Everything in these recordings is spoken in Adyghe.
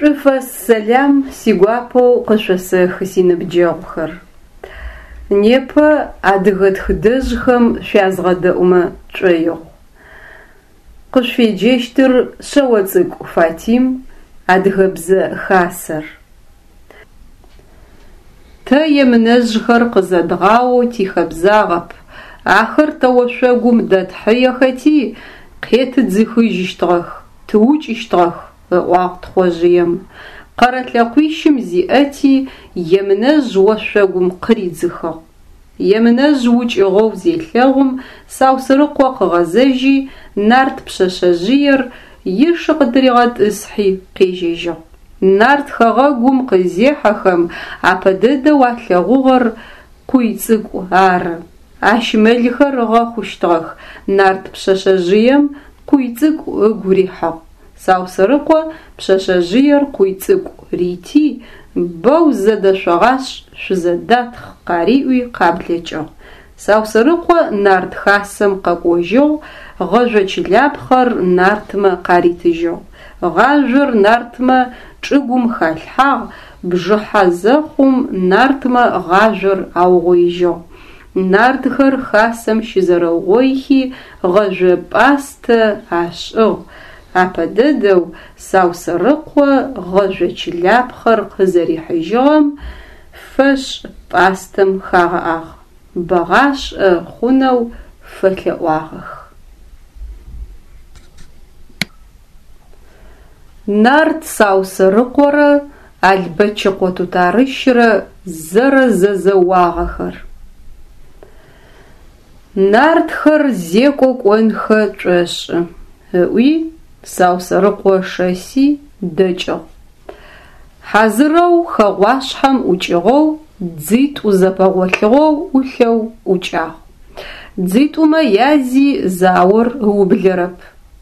Шӏуфэс сэлам сигуапэу къышъосэхы синыбджэгъухэр. Непэ адыгэ тхыдэжъхэм шъуязгъэдэӏумэ тшӏоигъу. Къышъуфеджэщтыр Шъэоцӏыкӏу Фатим, Адыгэбзэ Хасэр. Тэ емынэжъхэр къызэдгъаоу тихэбзагъэп, ахэр тэ ошъогум дэтхьыехэти, къетыдзыхыжьыщтыгъэх, тыукӏыщтыгъэх, ыӏуагъ Тхъожъыем. Къэрэ лъэкъуищым зиӏэти, Емынэжъ ошъогум къыридзыхыгъ. Емынэжъ укӏыгъэу зелъэгъум, Саусырыкъо къыгъэзэжьи, нарт пшъэшъэжъыер ишы къытыригъэтӏысхьи къежьэжьыгъ. Нарт хэгъэгум къызехьэхэм, апэ дэдэу алъэгъугъэр Къуйцӏыкӏу ары. Ащ мэлхэр ыгъэхъущтыгъэх. Нарт пшъэшъэжъыем Къуйцӏыкӏу ыгу рихьыгъ. Саусырыкъо пшъэшъэжъыер Къуйцӏыкӏу рити, бэу зэдэшъогъашӏ, шъузэдатхъ къариӏуи къаблэкӏыгъ. Саусырыкъо нарт хасэм къэкӏожьыгъ, гъэжъо чылапхъэр нартмэ къаритыжьыгъ. Гъажъор нартмэ чӏыгум халъхьагъ, бжыхьэ зэхъум нартмэ гъажъор аугъоижьыгъ. Нартхэр хасэм щызэрэугъоихи гъэжъо пӏастэ ашӏыгъ. Апэ дэдэу Саусэрыкъо гъэжъо чылапхъэр къызэрихьыжьыгъэм фэшӏ пӏастэм хагъэӏагъ, бэгъашӏэ хъунэу фэлъэӏуагъэх. Нарт Саусэрыкъорэ Албэчыкъо Тутарыщрэ зэрэзэзэуагъэхэр. Нартхэр зекӏо кӏонхэ тшӏошӏы, ыӏуи Саусэрыкъо шэси дэкӏыгъ. Хьазырэу хэгъуашъхьэм ӏукӏыгъэу дзитӏу зэпэгъолъыгъэу ӏулъэу ӏукӏагъ. Дзитӏумэ язи заор ыублэрэп,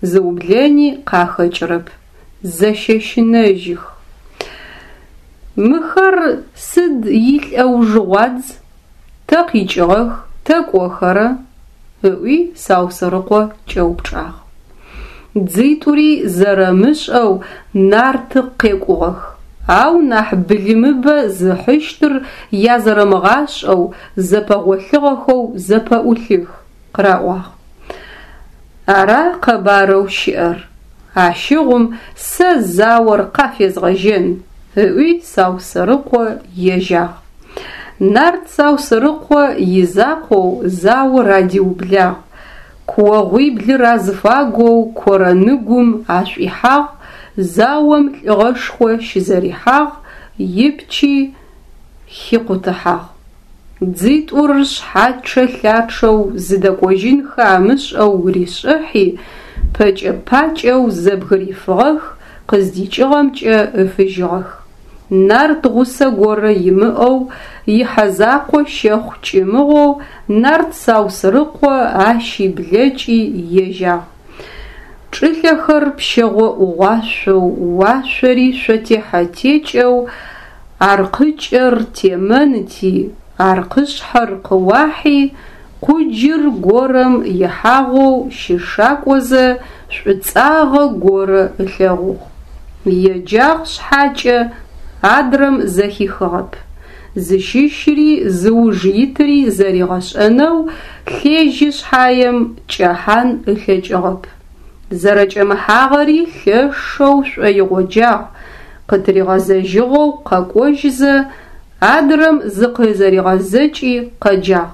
зыублэни къахэкӏырэп, зэщэщынэжьых. Мыхэр сыд илӏэужыгъуадз, тэ къикӏыгъэх, тэ кӏохэрэ? ыӏуи Саусэрыкъо кӏэупчӏагъ. Дзитӏури зэрэмышӏэу нарты къекӏугъэх, ау нахь былымыбэ зыхьыщтыр язэрэмыгъашӏэу зэпэгъолъыгъэхэу зэпэӏулъых, къыраӏуагъ. Ара къэбарэу щыӏэр? Ащыгъум сэ заор къафезгъэжьэн, ыӏуи Саусэрыкъо ежьагъ. Нарт Саусэрыкъо изакъоу заор адиублагъ, куогъуиблыр азыфагоу корэныгум ашӏуихьагъ, заом лӏыгъэшхо щызэрихьагъ, ипчи хикъутыхьагъ. Дзитӏур шъхьачъэ-лъачъэу зыдэкӏожьынхэ амышӏэу ришӏыхьи, пэкӏэ-пакӏэу зэбгырифыгъэх, къыздикӏыгъэмкӏэ ыфыжьыгъэх. Нарт гъусэ горэ имыӏэу, ихьэ закъо щэхъу кӏымыгъоу нарт Саусырыкъо ащи блэкӏи ежьагъ. Чӏылъэхэр пщэгъо ӏугъуашъоу, уашъори шъотехьэ-текӏэу аркъыкӏэр темэнти, аркъышъхьэр къыуахьи, къуджыр горэм ихьагъэу щышакӏозэ шӏуцӏагъэ горэ ылъэгъугъ. Еджагъ шъхьакӏэ, адрэм зэхихыгъэп. Зыщыщри зыуж итри зэригъэшӏэнэу лъежьи шъхьаем кӏэхьан ылъэкӏыгъэп. Зэрэкӏэмыхьагъэри лъэшэу шӏоигъоджагъ, къытыригъэзэжьыгъэу къэкӏожьызэ, адрэм зыкъызэригъэзэкӏи къэджагъ.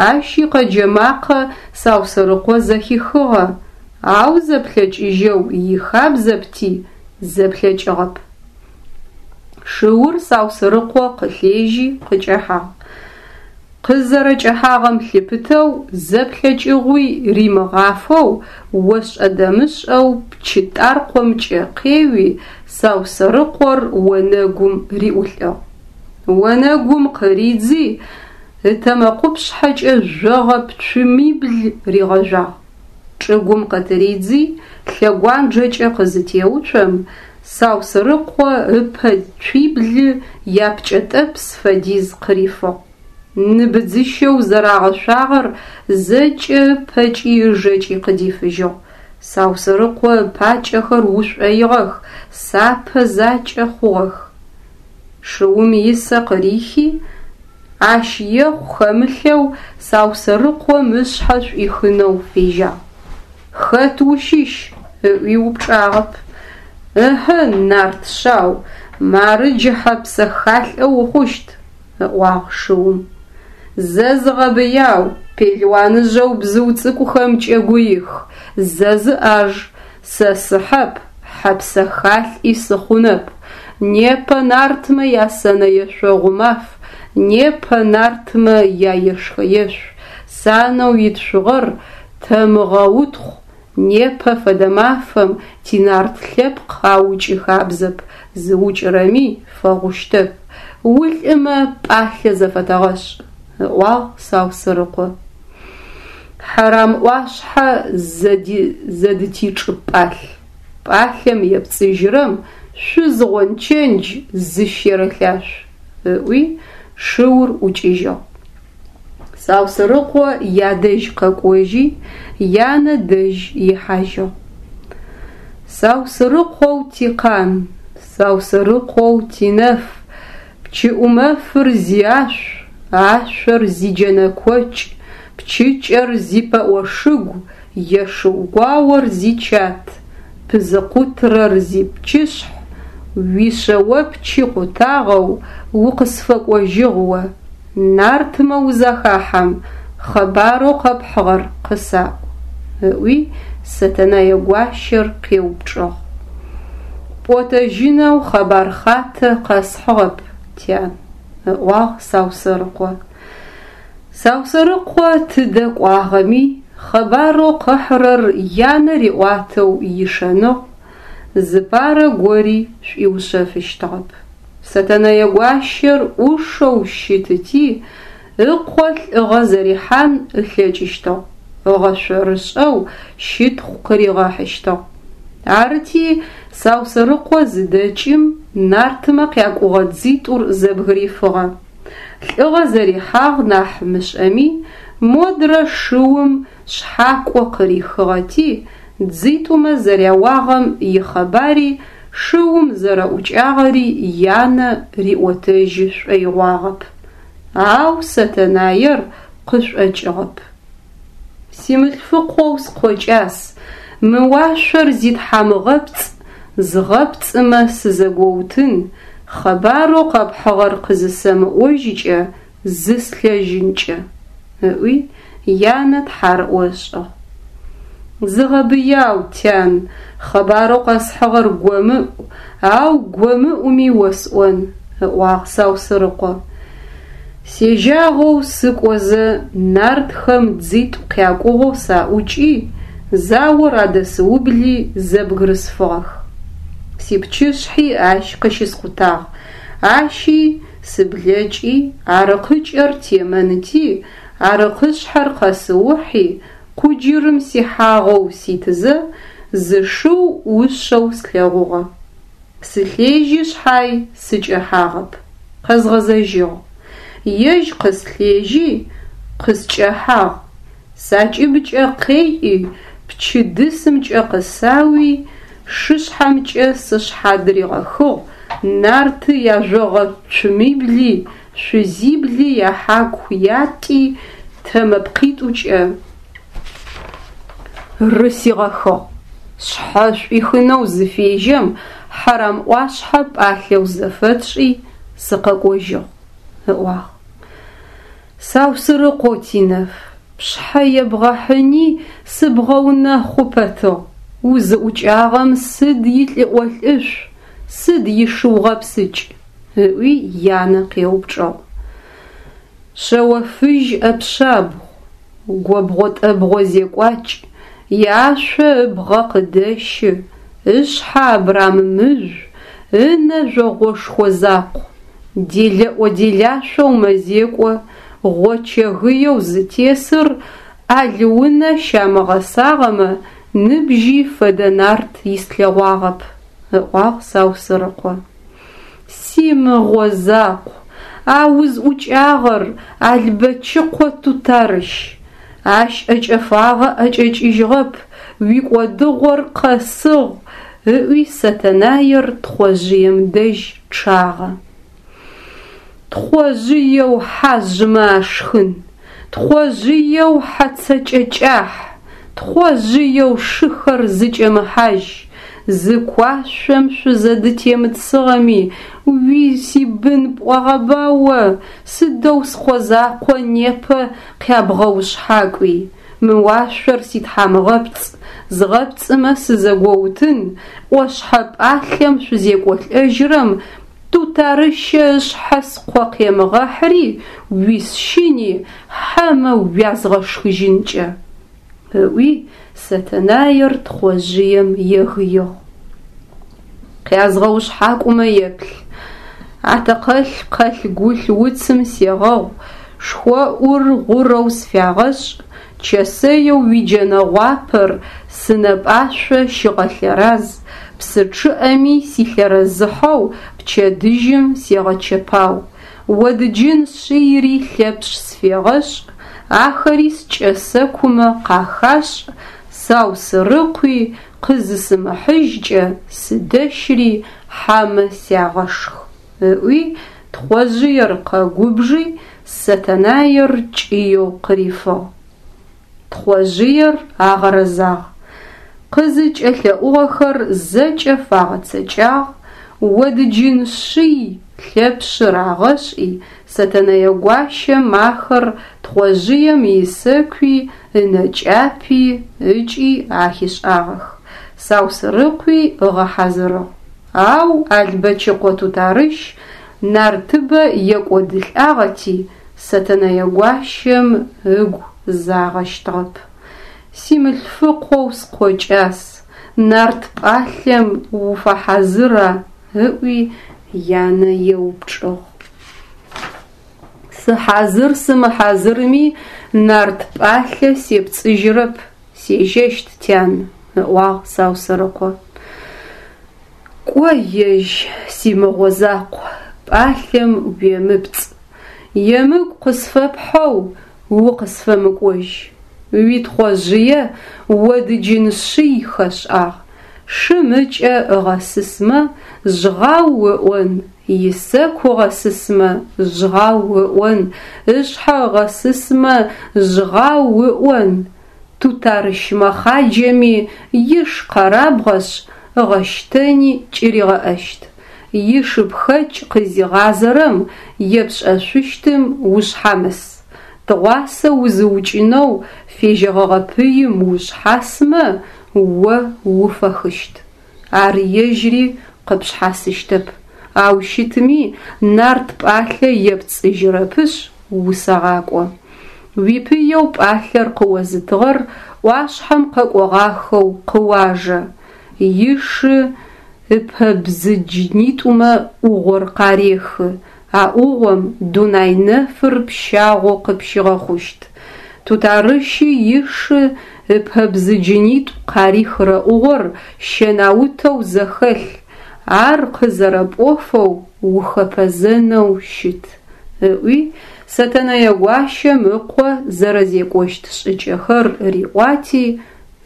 Ащ икъэджэ макъэ Саусэрыкъо зэхихыгъэ, ау зэплъэкӏыжьэу ихабзэпти, зэплъэкӏыгъэп. Шыур Саусырыкъо къылъежьи къыкӏэхьагъ. Къызэрэкӏэхьагъэм лъыпытэу зэплъэкӏыгъуи римыгъафэу, ошӏэ-дэмышӏэу пчы тӏаркъомкӏэ къеуи, Саусэрыкъор онэгум риӏулӏыгъ. Онэгум къыридзи, ытэмэкъупшъхьэкӏэ жъогъэ пцумибл ригъэжъуагъ. Чӏыгум къытыридзи, лъэгуанджэкӏэ къызытеуцом, Саусырыкъо ыпэ цуиблы япкӏэтӏэпс фэдиз къырифыгъ. Ныбыдзыщэу зэрагъэшъуагъэр зэкӏэ ыпэкӏи ыжэкӏи къыдифыжьыгъ. Саусэрыкъо ыпакӏэхэр ушӏоигъэх, сапэ закӏэ хъугъэх. Шыум исэ къырихи, ащ ехъу хэмылъэу Саусэрыкъом ышъхьэ шӏуихынэу фежьагъ. Хэт ущыщ? ыӏуи упчӏагъэп. Ыхьы, нарт шъау, мары джы хьэ псэхалӏэ ухъущт, ыӏуагъ шыум. Зэ зыгъэбыяу, пелуаныжъэу бзыу цӏыкӏухэмкӏэ гуих, зэ зыӏаж, сэ сыхьэп, хьэ псэхалӏи сыхъунэп. Непэ нартмэ ясэнэ ешъогъу маф, непэ нартмэ яешхэ-ешъу, санэу итшъугъэр тэмыгъэутхъу, непэ фэдэ мафэм тинарт лъэпкъ аукӏы хабзэп, зыукӏырэми фэгъущтэп. Улӏымэ пӏалъэ зэфэтэгъэшӏ, ыӏуагъ Саусырыкъо. Хьэрам ӏуашъхьэ зэдытичӏы пӏалъ. Пӏалъэм епцӏыжьырэм шъуз гъончэндж зыщерэлъашъу, ыӏуи шыур ӏукӏыжьыгъ. Саусырыкъо ядэжь къэкӏожьи, янэ дэжь ихьажьыгъ. Саусырыкъоу тикъан, Саусырыкъоу тинэф, Пчыӏумэфыр зиашъу, ашъор зиджэнэкокӏ, Пчыкӏэр зипэӏошыгу, Ешыу гуаор зичат, Пызыкъутрэр зипчышъхь, Уишъэопчы къутагъэу Укъысфэкӏожьыгъ о. Нартмэ узахахьэм, Хъэбарэу къэпхьыгъэр къысаӏу, ыӏуи Сэтэнэе гуащэр къеупчӏыгъ. Пӏотэжьынэу хъэбар хъатэ къэсхьыгъэп, тян, ыӏуагъ Саусэрыкъо. Саусэрыкъо тыдэ кӏуагъэми, хъэбарэу къыхьырэр янэ риӏуатэу ишэныгъ, зыпарэ гори шӏуиушъэфыщтыгъэп. Сэтэнэе гуащэр ӏушэу щытыти, ыкъо лӏыгъэ зэрихьан ылъэкӏыщтыгъ, ыгъэшъорышӏэу щытхъу къыригъэхьыщтыгъ. Арыти, Саусэрыкъо зыдэкӏым, нартмэ къякӏугъэ дзитӏур зэбгырифыгъэ. Лӏыгъэ зэрихьагъ нахь мышӏэми, модрэ шыум шъхьакӏо къырихыгъэти, дзитӏумэ зэряуагъэм ихъэбари шыум зэрэӏукӏагъэри янэ риӏотэжьы шӏоигъуагъэп. Ау Сэтэнаер къышӏокӏыгъэп. Симылъфыкъоу скъо кӏас, мы уашъор зитхьамыгъэпцӏ, згъэпцӏымэ сызэгоутын, хъэбарэу къэпхьыгъэр къызысэмыӏожькӏэ зыслъэжьынкӏэ, ыӏуи, янэ тхьарыӏо ышӏыгъ. Зыгъэбыяу, тян, хъэбарэу къэсхьыгъэр гомыӏу, ау гомыӏуми осӏон, ыӏуагъ Саусырыкъо. Сежьагъэу сыкӏозэ, нартхэм дзитӏу къякӏугъэу саӏукӏи, заор адэсыубли зэбгырысфыгъэх. Сипчышъхьи ащ къыщыскъутагъ, ащи сыблэкӏи, Арыкъыкӏэр темэнти, Арыкъышъхьэр къэсыухьи, Къуджырым сихьагъэу ситызэ, зы шыу ӏушъэу слъэгъугъэ. Сылъежьи шъхьай сыкӏэхьагъэп, къэзгъэзэжьыгъ. Ежь къыслъежьи, къыскӏэхьагъ. Сакӏыбкӏэ къеӏи, пчы дысымкӏэ къысауи, шышъхьэмкӏэ сышъхьадыригъэхыгъ, нарты яжъогъэ цумибли, шъузибли яхьаку ятӏи тэмэпкъитӏукӏэ рысигъэхыгъ. Сшъхьэ шӏуихынэу зыфежьэм, Хьэрам ӏуашъхьэ пӏалъэу зэфэтшӏи, сыкъэкӏожьыгъ, ыӏуагъ. Саусырыкъо тинэф, пшъхьэ ебгъэхьыни сыбгъэунэхъу пэтыгъ, узыӏукӏагъэм сыд илӏыӏо-лӏышӏу, сыд ишыу гъэпсыкӏ? ыӏуи янэ къеупчӏыгъ. Шъэофыжь ӏэпшъабгъу, гобгъо-тӏэбгъо зекӏуакӏ, иашъо ыбгъэ къыдэщы, ышъхьэ абрамымыжъу, ынэ жъогъошхо закъу, делэӏо-делашъоу мэзекӏо, гъочэ-гыеу зытесыр ӏэл унэ щамыгъэсагъэмэ, ныбжьи фэдэ нарт ислъэгъуагъэп, ыӏуагъ Саусырыкъо. Симыгъо закъу, а узӏукӏагъэр Албэчыкъо Тутарыщ. Ащ ӏэкӏэфагъэ ӏэкӏэкӏыжьыгъэп. Уикӏодыгъор къэсыгъ, ыӏуи Сэтэнаер Тхъожъыем дэжь чъагъэ. Тхъожъыеу хьажъымэ ашхын, Тхъожъыеу хьэцэкӏэ кӏахь, Тхъожъыеу шыхэр зыкӏэмыхьажь, Зы куашъом шъузэдытемытыгъэми, Уи сибын пӏуагъэба о, Сыдэу скъо закъо непэ къябгъэушъхьакӏуи? Мы уашъор ситхьамыгъэпцӏ, Згъэпцӏымэ сызэгоутын, ӏошъхьэ пӏалъэм шъузекӏолӏэжьырэм Тутарыщэ ышъхьэ скъо къемыгъэхьыри, уисщыни, хьэмэ уязгъэшхыжьынкӏэ! Ыӏуи, Сэтэнаер Тхъожъыем егыигъ. Къязгъэушъхьакӏумэ еплъ. Атэкъэлъ къэлъ-гулъ уцым сегъэгъу, шхоӏур гъурэу сфягъэшӏ, чэсэеу уиджэнэ гъуапэр сынэпӏашъо щыгъэлъэраз, псы чъыӏэми силъэрэзыхьэу пчэдыжьым сегъэчэпау. Одыджын шъийри Лъэпшъ сфегъэшӏ, ахэри скӏэсэкумэ къахашӏ, Саусырыкъуи къызысымыхьыжькӏэ сыдэщри хьэмэ сягъэшх, ыӏуи, Тхъожъыер къэгубжи, Сэтэнаер кӏыеу къырифыгъ. Тхъожъыер агъэрэзагъ. Къызыкӏэлъэӏугъэхэр зэкӏэ фагъэцэкӏагъ, одыджын шъий Лъэпшъы рагъэшӏи, Сэтэнэе гуащэм ахэр Тхъожъыем исэкуи ынэкӏапи ыкӏи ахишӏагъэх, Саусырыкъуи ыгъэхьазырыгъ. Ау Албэчыкъо Тутарыщ нартыбэ екӏодылӏагъэти, Сэтэнэе гуащэм ыгу загъэщтыгъэп. Симылъфыкъоу скъо кӏас, нарт пӏалъэм уфэхьазыра? ыӏуи янэ еупчӏыгъ. Сыхьазыр-сымыхьазырми, нарт пӏалъэ сепцӏыжьырэп, сежьэщт, тян, ыӏуагъ Саусэрыкъо. Кӏо, ежь, симыгъо закъу, пӏалъэм уемыпцӏ. Емыкӏу къысфэпхьэу укъысфэмыкӏожь. Уитхъожъые одыджын шъий хэшӏагъ, шым ыкӏэ ыгъэсысмэ, жъгъау ыӏон, исэку ыгъэсысмэ, жъгъау ыӏон, ышъхьэ ыгъэсысмэ, жъгъау ыӏон. Тутарыщ мэхъаджэми иш къэрабгъэшъ, ыгъэщтэни кӏыригъэӏэщт. Ишыпхэкӏ къызигъазэрэм епшӏэшъущтым ушъхьамыс. Тыгъуасэ узыукӏынэу фежьэгъэгъэ пыим ушъхьасмэ, о уфэхыщт. Ар ежьри къыпшъхьасыщтэп. Ау щытми, нарт пӏалъэ епцӏыжьырэпышъ, усэгъакӏо. Уипыеу пӏалъэр къыозытыгъэр ӏуашъхьэм къэкӏогъахэу къыуажэ. Ишы ыпэбзыджынитӏумэ ӏугъор къарехы, а ӏугъом дунай нэфыр пщагъо къыпщигъэхъущт. Тутарыщи ишы ыпэбзыджынитӏу къарихырэ ӏугъор щэнаутэу зэхэлъ, ар къызэрэпӏофэу ухэпэзэнэу щыт, ыӏуи, Сэтэнэе гуащэм ыкъо зэрэзекӏощт шӏыкӏэхэр риӏуати,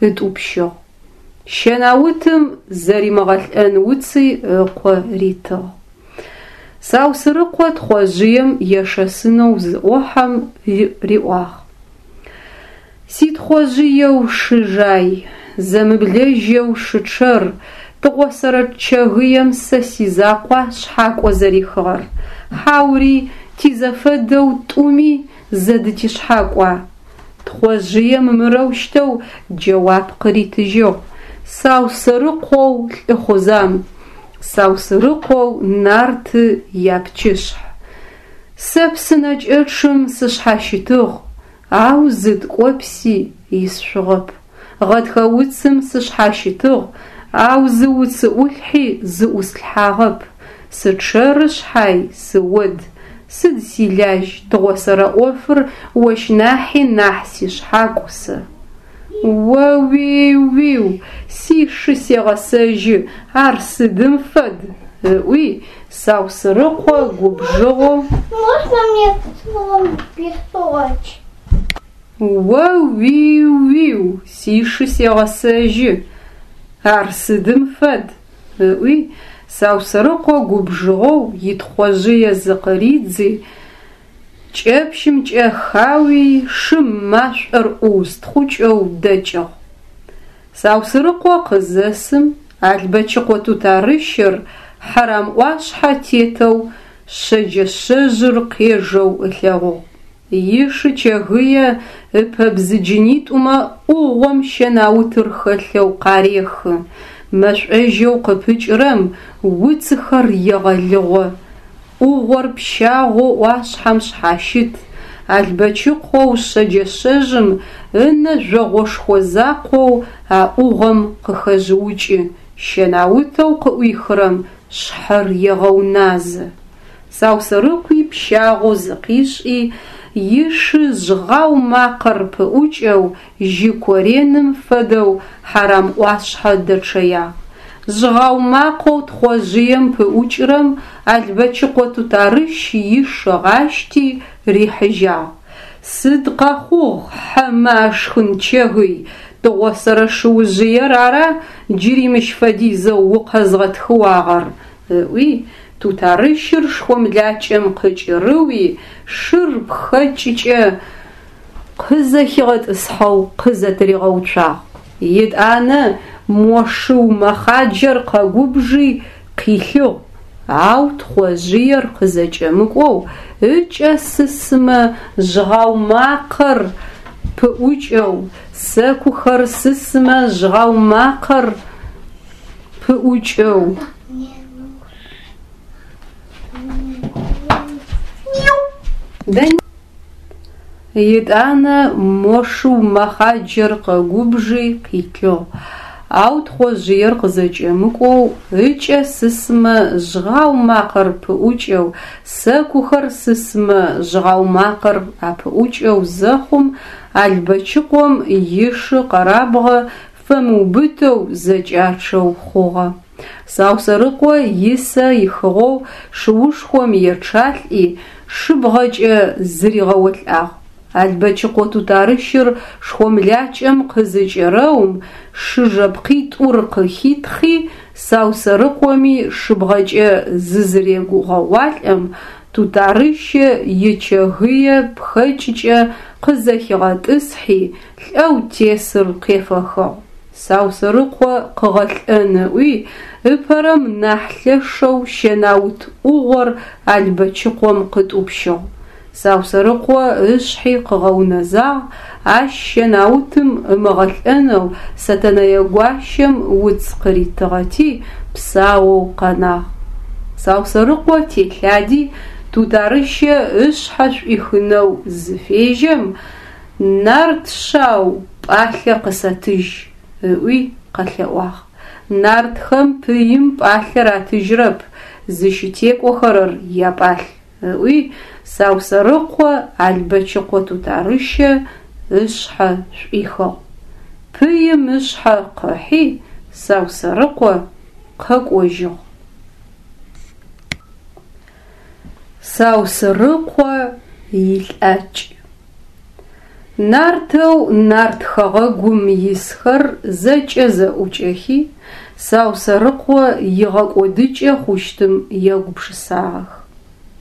ытӏупщыгъ. Щэнаутым зэримыгъэлӏэн уци ыкъо ритыгъ. Саусырыкъо Тхъожъыем ешэсынэу зыӏохьэм риӏуагъ: Ситхъожъыеу шы жай, зэмыблэжьэу шы чъэр, тыгъосэрэ Чэгыем сэ сизакъуа шъхьакӏо зэрихыгъэр, хьаури тизэфэдэу тӏуми зэдытишъхьакӏуа? Тхъожъыем мырэущтэу джэуап къыритыжьыгъ: Саусэрыкъоу лӏыхъузан, Саусырыкъоу нарты япчышъхь. Сэ псынэкӏэчъым сышъхьащытыгъ, ау зы ткӏопси исшъугъэп. Гъэтхэ уцым сышъхьащытыгъ, ау зы уцы ӏулъхьи зыӏуслъхьагъэп. Сычъэры шъхьай, сыод. Сыд силажь, тыгъосэрэ ӏофыр ощ нахьи нахь сишъхьакӏу сэ. О-уи-уиу, сишы сегъэсэжьы, ар сыдым фэд! ыӏуи, Саусырыкъо губжыгъэу Можно мне словом песочек? О-уи-уиу, сишы сегъэсэжьы, ар сыдым фэд! ыӏуи, Саусэрыкъо губжыгъэу итхъожъые зыкъыридзи, кӏэпщымкӏэ хауи, шым машӏор ӏуустхъукӏэу дэкӏыгъ. Саусырыкъо къызэсым, Албэчыкъо Тутарыщэр Хьарамӏуашъхьэ тетэу шъэджэшъэжъыр къежэу ылъэгъугъ. Ишы чэгые ыпэбзыджынитӏумэ ӏугъом щэнаутыр хэлъэу къарехы, мэшӏожьэу къыпыкӏырэм уцыхэр егъэлыгъо. ӏугъор пщагъоу ӏуашъхьэм шъхьащыт, Албэчыкъоу шъэджэшъэжъым ынэ жъогъошхо закъоу а ӏугъом къыхэжъыукӏы, щэнаутэу къыӏуихырэм шъхьэр егъэуназэ. Саусэрыкъуи пщагъоу зыкъишӏи, ишы жъгъау макъэр пыӏукӏэу жьы кореным фэдэу Хьарамӏуашъхьэ дэчъэягъ. Жъгъау макъэу Тхъожъыем пыӏукӏырэм Албэчыкъо Тутарыщ иш ыгъащти рихьыжьагъ. Сыд къэхъугъ, хьэмэ ашхын чэгый, тыгъосэрэ шыужъыер ара джыри мыщ фэдизэу укъэзгъэтхыуагъэр? ыӏуи, Тутарыщыр шхомлакӏэм къыкӏырыуи, шыр пхэкӏыкӏэ къызэхигъэтӏысхьэу къызэтыригъэуцуагъ. Етӏанэ мо шыу мэхъаджэр къэгубжи къилъыгъ, ау Тхъожъыер къызэкӏэмыкӏоу ыкӏэ сысмэ жъгъау макъэр пыӏукӏэу, сэкухэр сысмэ жъгъау макъэр пыӏукӏэу. Етӏанэ мо шыу мэхъаджэр къэгубжи къилъыгъ, ау Тхъожъыер къызэкӏэмыкӏоу ыкӏэ сысмэ жъгъау макъэр пыӏукӏэу, сэкухэр сысмэ жъгъау макъэр апыӏукӏэу зэхъум, Албэчыкъом ишы къэрабгъэ фэмыубытэу зэкӏачъэу хъугъэ. Саусэрыкъо исэ ихыгъэу шыушхом ечъалӏи, шыбгъэкӏэ зыригъэолӏагъ. Албэчыкъо Тутарыщыр шхомлакӏэм къызыкӏэрэум, шы жэпкъитӏур къыхитхъи, Саусэрыкъоми шыбгъэкӏэ зызырегъэуалӏэм, Тутарыщэ ичэгые пхэкӏыкӏэ къызэхигъэтӏысхьи, лӏэу тесыр къефэхыгъ. Саусэрыкъо къыгъэлӏэн ыӏуи, ыпэрэм нахь лъэшэу щэнаут ӏугъор Албэчыкъом къытӏупщыгъ. Саусэрыкъо ышъхьи къыгъэунэзагъ, ащ щэнаутым ымыгъэлӏэнэу Сэтэнэе гуащэм уц къыритыгъэти, псаоу къэнагъ. Саусэрыкъо телъади, Тутарыщэ ышъхьэ шӏуихынэу зыфежьэм, Нарт шъау, пӏалъэ къысэтыжь, ыӏуи къэлъэӏуагъ. Нартхэм пыим пӏалъэ ратыжьрэп, зыщытекӏохэрэр япӏалъ, ыӏуи Саусэрыкъо Албэчыкъо Тутарыщэ ышъхьэ шӏуихыгъ. Пыим ышъхьэ къыхьи, Саусэрыкъо къэкӏожьыгъ. Саусырыкъо илӏакӏ. Нартэу нарт хэгъэгум исхэр зэкӏэ зэӏукӏэхи, Саусэрыкъо игъэкӏодыкӏэ хъущтым егупшысагъэх.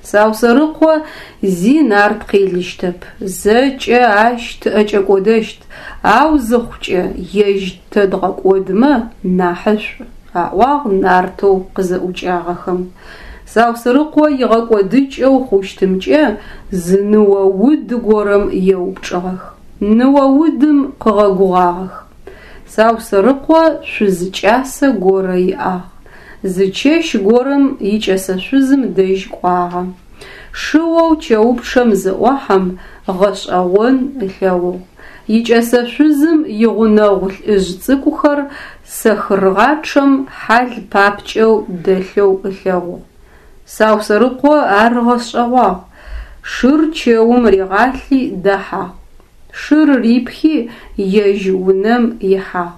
Саусэрыкъо зи нарт къелыщтэп, зэкӏэ ащ тыӏэкӏэкӏодэщт, ау зыхъукӏэ ежь тэ дгъэкӏодмэ нахьышӏу, аӏуагъ нартэу къызэӏукӏагъэхэм. Саусырыкъо игъэкӏодыкӏэу хъущтымкӏэ зы ныо уд горэм еупчӏыгъэх. Ныо удым къыгъэгугъагъэх. Саусырыкъо шъуз кӏасэ горэ иӏагъ. Зы чэщ горэм икӏэсэ шъузым дэжь кӏуагъэ. Шыоу чэупчъэм зыӏохьэм, гъэшӏэгъон ылъэгъугъ. Икӏэсэ шъузым игъунэгъу лӏыжъ цӏыкӏухэр сэхыргъачъэм хьал папкӏэу дэлъэу ылъэгъугъ. Саусэрыкъо ар ыгъэшӏэгъуагъ. Шыр чэум ригъалъи дэхьагъ. Шыр рипхи, ежь унэм ихьагъ.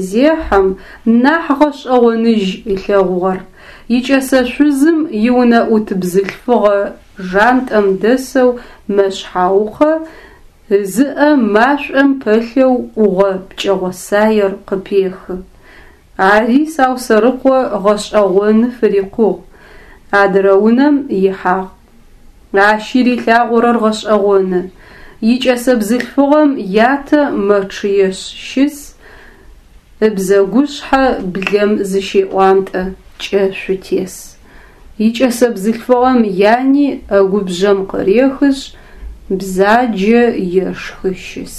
Зехьэм, нахь гъэшӏэгъоныжь ылъэгъугъэр. Икӏэсэ шъузым иунэӏут бзылъфыгъэ жантӏэм дэсэу мэшъхьаукъэ. Ызыӏэ машӏом пэлъэу ӏугъэ пкӏэгъосаер къыпехы. Ари Саусэрыкъо гъэшӏэгъоны фырикъугъ. Адырэ унэм ихьагъ. Ащи рилъагъорэр гъэшӏэгъоны. Икӏэсэ бзылъфыгъэм ятэ мэчъыешъ щыс, ыбзэгушъхьэ блэм зыщеӏуантӏэ, кӏэшъу тес. Икӏэсэ бзылъфыгъэм яни ӏэгубжъэм къырехышъ, бзаджэ ешхы щыс.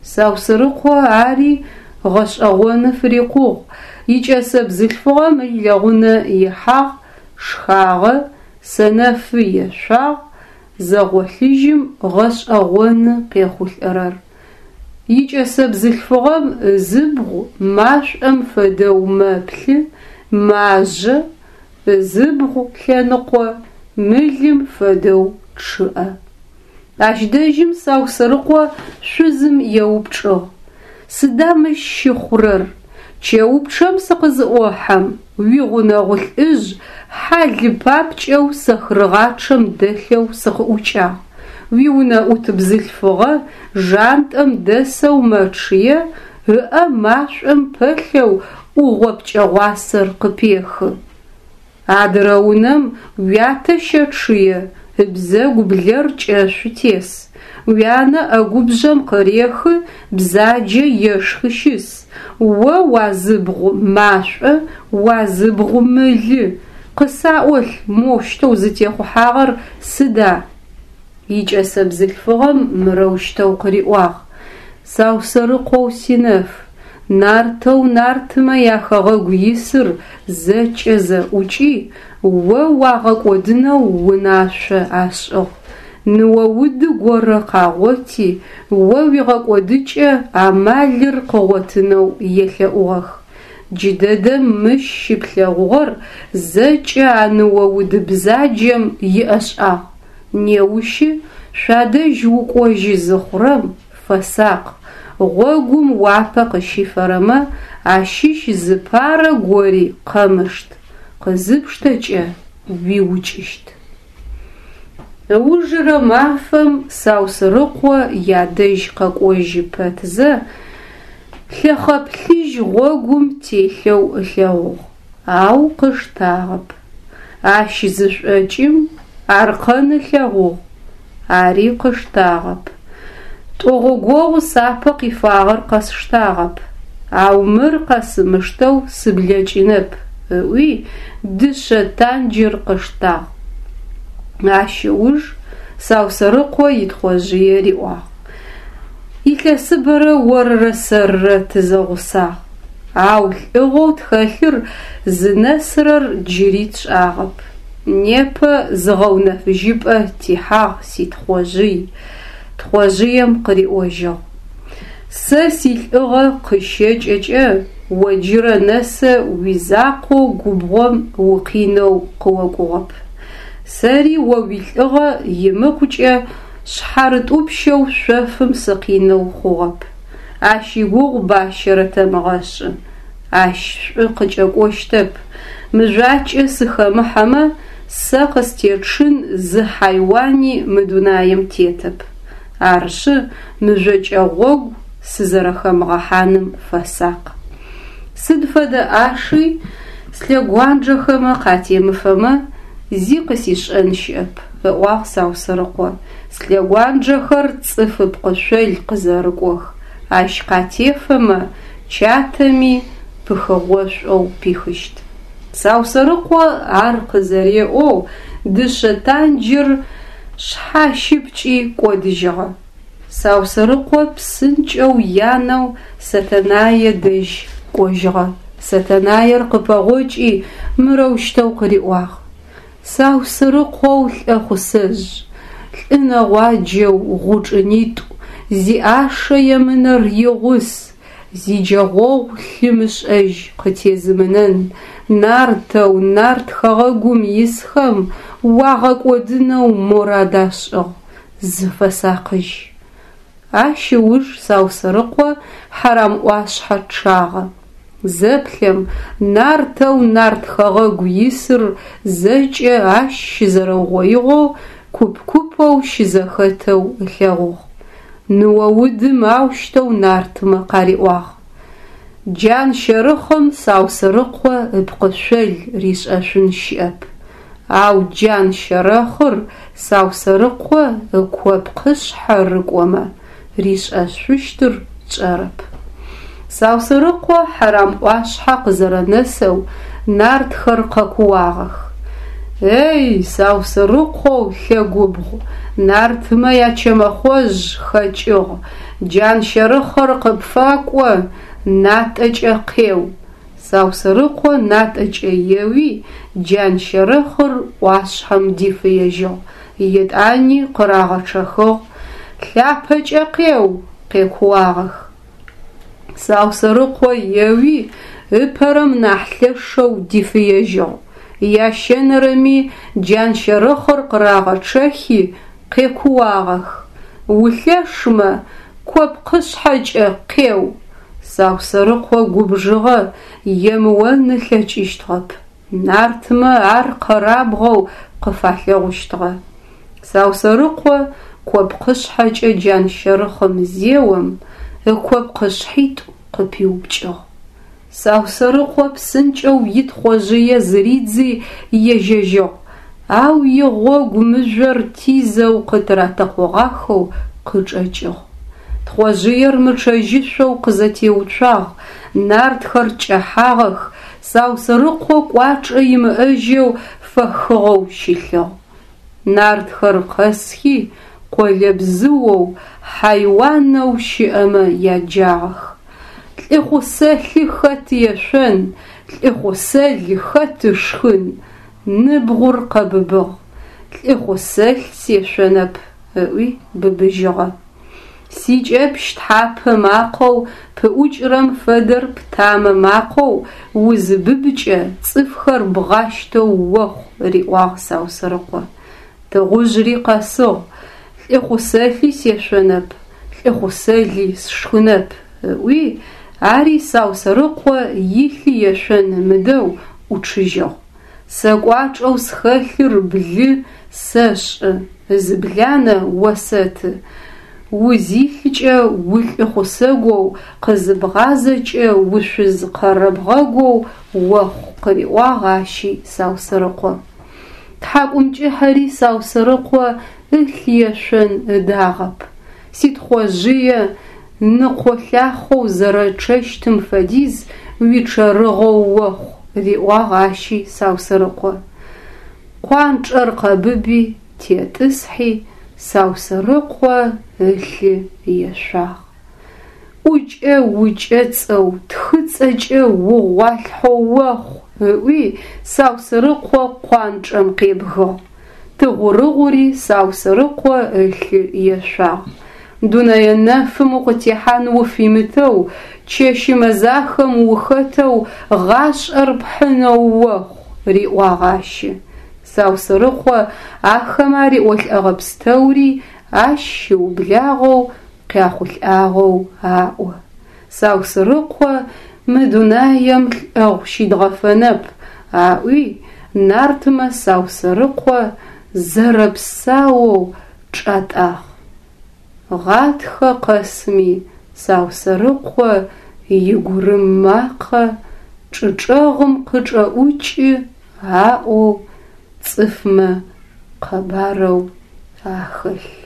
Саусырыкъо ари гъэшӏэгъоны фырикъугъ, икӏэсэ бзылъфыгъэм илэгъунэ ихьагъ, шхагъэ, сэнэфы ешъуагъ, зэгъолъыжьым гъэшӏэгъоны къехъулӏэрэр. Икӏэсэ бзылъфыгъэм ызыбгъу машӏом фэдэу мэплъы, мажъэ, ызыбгъу лъэныкъо мылым фэдэу чъыӏэ. Ащ дэжьым Саусэрыкъо шъузым еупчӏыгъ: Сыда мыщ щыхъурэр? Чэупчъэм сыкъызыӏохьэм, уигъунэгъу лӏыжъ хьа лы папкӏэу сэхырыгъачъэм дэлъэу сыкъыӏукӏагъ. Уиунэӏут бзылъфыгъэ жантӏэм дэсэу мэчъые, ыӏэ машӏом пэлъэу ӏугъо пкӏэгъуасэр къыпехы. Адырэ унэм уятэ щэчъые, ыбзэгу блэр кӏэшъу тес. Уянэ ӏэгубжъэм къырехы, бзаджэ ешхы щыс. О уазыбгъу машӏо, уазыбгъу мылы. Къысаӏолъ, моущтэу зытехъухьагъэр сыда? Икӏэсэ бзылъфыгъэм мырэущтэу къыриӏуагъ: Саусэрыкъоу синэф, нартэу нартмэ яхэгъэгу исыр зэкӏэ зэӏукӏи, о уагъэкӏодынэу унашъо ашӏыгъ. Ныоуды горэ къагъоти, о уигъэкӏодыкӏэ амалыр къыгъотынэу елъэӏугъэх. Джыдэдэм мыщ щыплъэгъугъэр зэкӏэ а ныоуды бзаджэм иӏэшӏагъ. Неущы шъуадэжь укӏожьы зыхъурэм фэсакъ, гъогум уапэ къыщифэрэмэ ащыщ зыпарэ гори къэмышт, къызыпштэкӏэ уиукӏыщт. Ыужырэ мафэм Саусырыкъо ядэжь къэкӏожьы пэтзэ, лъэхъэ плъыжь гъогум телъэу ылъэгъугъ, ау къыштагъэп. Ащ зышӏокӏым аркъэн ылъэгъугъ, ари къыштагъэп. Тӏогъогогъу сапэ къифагъэр къэсштагъэп, ау мыр къэсымыштэу сыблэкӏынэп, ыӏуи, дышъэ танджыр къыштагъ. Ащ ыуж Саусэрыкъо итхъожъые риӏуагъ: Илъэсыбэрэ орырэ сэрырэ тызэгъусагъ, ау лӏыгъэу тхэлъыр зынэсырэр джыри тшӏагъэп. Непэ зыгъэунэфыжьыпӏэ тихьагъ ситхъожъый. Тхъожъыем къыриӏожьыгъ: Сэ силӏыгъэ къыщэкӏэкӏэ о джырэ нэсэ уизакъоу губгъом укъинэу къыокӏугъэп. Сэри о уилӏыгъэ имыкъукӏэ шъхьарытӏупщэу шъофым сыкъинэу хъугъэп. Ащ игугъу бащэрэ тэмыгъэшӏы. Ащ шӏу къыкӏэкӏощтэп. Мыжъуакӏэ сыхэмыхьэмэ, сэ къыстечъын зы хьайуани мы дунаим тетэп. Арышъы, мыжъокӏэ гъогу сызэрэхэмыгъэхьаным фэсакъ. Сыд фэдэ ӏаши слъэгуанджэхэмэ къатемыфэмэ, зи къысишӏэн щыӏэп, ыӏуагъ Саусэрыкъо. Слъэгуанджэхэр цӏыф ыпкъышъол къызэрыкӏох, ащ къатефэмэ, чатэми пыхыгъошӏоу пихыщт. Саусэрыкъо ар къызэреӏоу дышъэ танджыр шъхьащыпкӏи кӏодыжьыгъэ. Саусэрыкъо псынкӏэу янэу Сэтэнае дэжь кӏожьыгъэ. Сэтэнаер къыпэгъокӏи мырэущтэу къыриӏуагъ: Саусырыкъоу лӏэхъусэжъ, лӏы нэгъуаджэу гъучӏынитӏу, зиӏашэ емынэр игъус, зиджэгъогъу лъы мышӏэжь къытезымынэн, нартэу нарт хэгъэгум исхэм уагъэкӏодынэу морад ашӏыгъ, зыфэсакъыжь. Ащ ыуж Саусэрыкъо Хьарамӏуашъхьэ чъагъэ. Зэплъэм, нартэу нарт хэгъэгу исыр зэкӏэ ащ щызэрэугъоигъэу куп-купэу щызэхэтэу ылъэгъугъ. Ныо-удым аущтэу нартмэ къариӏуагъ. Джан щэрыхъым Саусырыкъо ыпкъышъол ришӏэшъун щыӏэп. Ау джан щэрэхъыр Саусэрыкъо ыкопкъышъхьэ рыкӏомэ, ришӏэшъущтыр тшӏэрэп. Саусырыкъо Хьэрам ӏуашъхьэ къызэрэнэсэу нартхэр къэкууагъэх. Эй, Саусырыкъоу лъэгубгъу, нартмэ ячэмэхъожъ хэкӏыгъ, джан щэрыхъыр къыпфакӏо, натӏэкӏэ къеу. Саусырыкъо натӏэкӏэ еуи, джан щэрэхъыр ӏуашъхьэм дифыежьыгъ, етӏани къырагъэчъэхыгъ, лъапэкӏэ къеу, къекууагъэх. Саусэрыкъо еуи, ыпэрэм нахь лъэшэу дифыежьыгъ. Ящэнэрэми джан щэрэхъыр къырагъэчъэхи, къекууагъэх. Улъэшмэ, копкъышъхьэкӏэ къеу. Саусэрыкъо губжыгъэ емыон ылъэкӏыщтыгъэп. Нартмэ ар къэрабгъэу къыфалъэгъущтыгъэ. Саусэрыкъо копкъышъхьэкӏэ джан щэрыхъым зеом, ыкопкъышъхьитӏу къыпиупкӏыгъ. Саусэрыкъо псынкӏэу итхъожъые зыридзи ежьэжьыгъ, ау игъогу мыжъор тизэу къытыратэкъогъахэу къычӏэкӏыгъ. Тхъожъыер мычъэжьышъоу къызэтеуцуагъ, нартхэр кӏэхьагъэх, Саусэрыкъо кӏуачӏэ имыӏэжьэу фэхыгъэу щылъыгъ. Нартхэр къэсхи, къолэбзыоу, хьайуанэу щыӏэмэ яджагъэх. Лӏыхъусэлъы хэт ешъон, лӏыхъусэл хэт ышхын, ныбгъур къэбыбыгъ. Лӏыхъусэл сешъонэп, ыӏуи быбыжьыгъэ. Сикӏэпщ тхьапэ макъэу пыӏукӏырэм фэдэр птамэ макъэу узыбыбыкӏэ цӏыфхэр бгъащтэу охъу, риӏуагъ Саусэрыкъо. Тыгъужъри къэсыгъ, лӏыхъусэлъи сешъонэп, лӏыхъусэли сшхынэп, ыӏуи, ари Саусэрыкъо илъи ешъон ымыдэу ӏучъыжьыгъ. Сэ кӏуачӏэу схэлъыр блы сэшӏы, ызыбланэ осэты. Узилъкӏэ улӏыхъусэгоу, къызыбгъазэкӏэ ушъуз къэрэбгъэгоу охъу, къыриӏуагъ ащи Саусэрыкъо. Тхьакӏумкӏыхьэри Саусэрыкъо ылъ ешъон ыдагъэп. Ситхъожъые ныкъолъахъэу зэрэчъэщтым фэдиз уичъэрыгъэу охъу, риӏуагъ ащи Саусэрыкъо. Къуанчӏэр къэбыби, тетӏысхьи, Саусэрыкъо ылъы ешъуагъ. ӏукӏэ укӏэцӏэу, тхыцӏэкӏэ угъуалъхьэу охъу, ыӏуи Саусэрыкъо къуанчӏэм къебгыгъ. Тыгъурыгъури Саусэрыкъо ылъы ешъуагъ. Дунэе нэфым укъытехьан уфимытэу, чэщы мэзахэм ухэтэу гъашӏэр пхьынэу охъу, риӏуагъ ащи. Саусэрыкъо ахэмэ ариӏолӏэгъэ пстэури ащ щыублагъэу къяхъулӏагъэу аӏо. Саусырыкъо мы дунаем лӏэгъу щидгъэфэнэп, аӏуи, нартмэ Саусэрыкъо зэрэпсаоу чӏатӏагъ. Гъатхэ къэсми Саусэрыкъо игурым макъэ чӏы чӏэгъым къычӏэӏукӏы аӏоу цӏыфмэ къэбарэу ахэлъ.